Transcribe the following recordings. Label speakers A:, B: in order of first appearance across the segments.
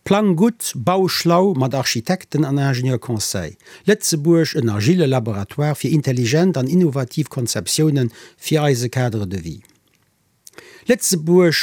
A: Plang gutt, bau schlau mat Architekten an Ingenieur Conseil. Lëtzebuerg, en agile Laboratoire fir intelligent an innovativ Konzeptiounen fir eise Cadre de vie. Lëtzebuerg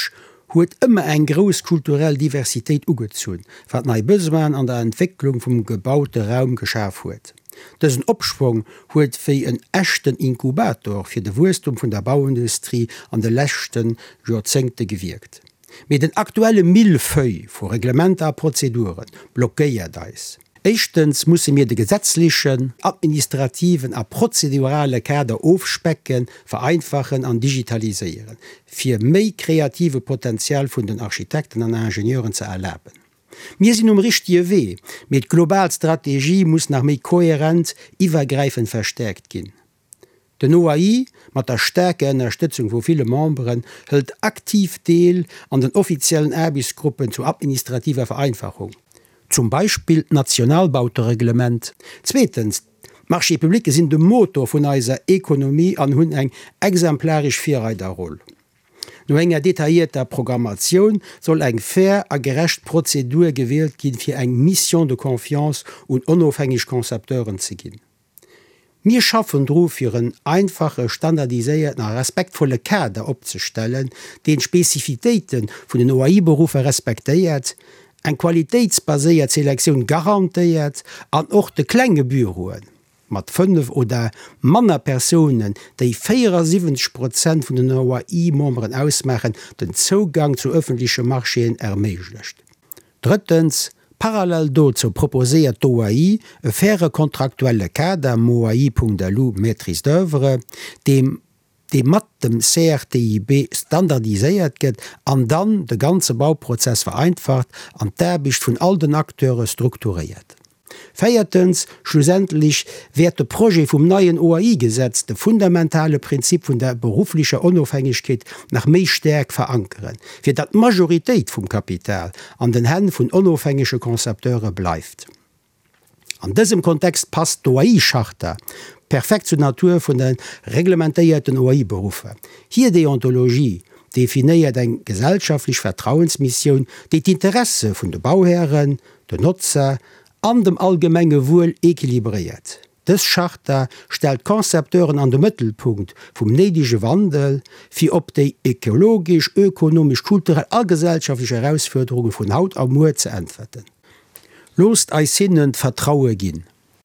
A: huet ëmmer eng grouss kulturell Diversitéit ugezunn, wat nei Besoinen an der Entwécklung vum gebaute Raum geschaf huet. Dësen Opschwong huet wéi en echten Inkubator fir de Wuesstum vun der Bauindustrie an de leschte Joerzéngte gewierkt. Mee den aktuelle Millefeuille vu Reglementer a Prozedure blockéiert eis. Éischtens musse mir de gesetzlechen, administrativen a prozedurale Kader ofspecken, vereinfachen an digitaliséieren, fir méi kreative Potenzial vun den Architekten an Ingenieuren ze erlaben. Mir sinn um richtige Wee, mee d'global Strategie muss nach méi kohärent, iwwergräifend verstäerkt ginn. Den OAI, mat der staarker Ënnerstëtzung vu ville Memberen, hëlt aktiv Deel an den offiziellen Aarbechtsgruppen zur administrativer Vereinfachung. Zum Beispill d'Nationalbautereglement. Zweetens, d'Marchés publics sinn de Motor vun eiser Ekonomie an hunn eng exemplaresch Virreiderroll. No enger detaillierter Programmatioun soll eng fair a gerecht Prozedur gewielt ginn, fir eng Mission de confiance un onofhängeg Concepteuren ze ginn. Mir schaffen dru fir en einfache, standardiséierten a respektvolle Kader opzestellen, deen d'Spezifitéite vun den OAI-Beruffer respektéiert, eng qualitéitsbaséiert Selektioun garantéiert an och de klenge Büroe mat 5 oder manner Persounen, déi 74 Prozent vun den OAI-Memberen ausmaachen, den Zougang zu ëffentleche Marchéen erméiglecht. Drëttens, parallel dozou proposéiert d'OAI e faire kontraktuelle Kader, MOAI.lu, Maîtrise d'oeuvre, deem dee mat dem CRTIB standardiséiert gëtt an dann de ganze Bauprozess vereinfacht an d'Aarbecht vun all den Acteure strukturéiert. Véiertens, schlussendlech wäert de Projet vum neien OAI-Gesetz de fundamentale Prinzip vun der berufflecher Onofhängegkeet nach méi staark verankeren, fir datt d'Majoritéit vum Kapital an den Hänn vun onofhängege Concepteure bleift. An dësem Kontext passt d'OAI-Charta perfekt zur Natur vun de reglementéierten OAI-Beruffer. Hir Deontologie definéiert eng gesellschaftlech Vertrauensmissioun, déi d'Interesse vun de Bauhären, den Notzer an dem allgemenge Wuel equilibréiert. Dës Charta stellt d'Concepteuren an de Mëttelpunkt vum néidege Wandel, fir op déi ökologesch, ökonomesch, kulturell a gesellschaftlech Erausfuerderunge vun haut a muer ze äntwerten. Loosst eis hinnen d'Vertraue ginn.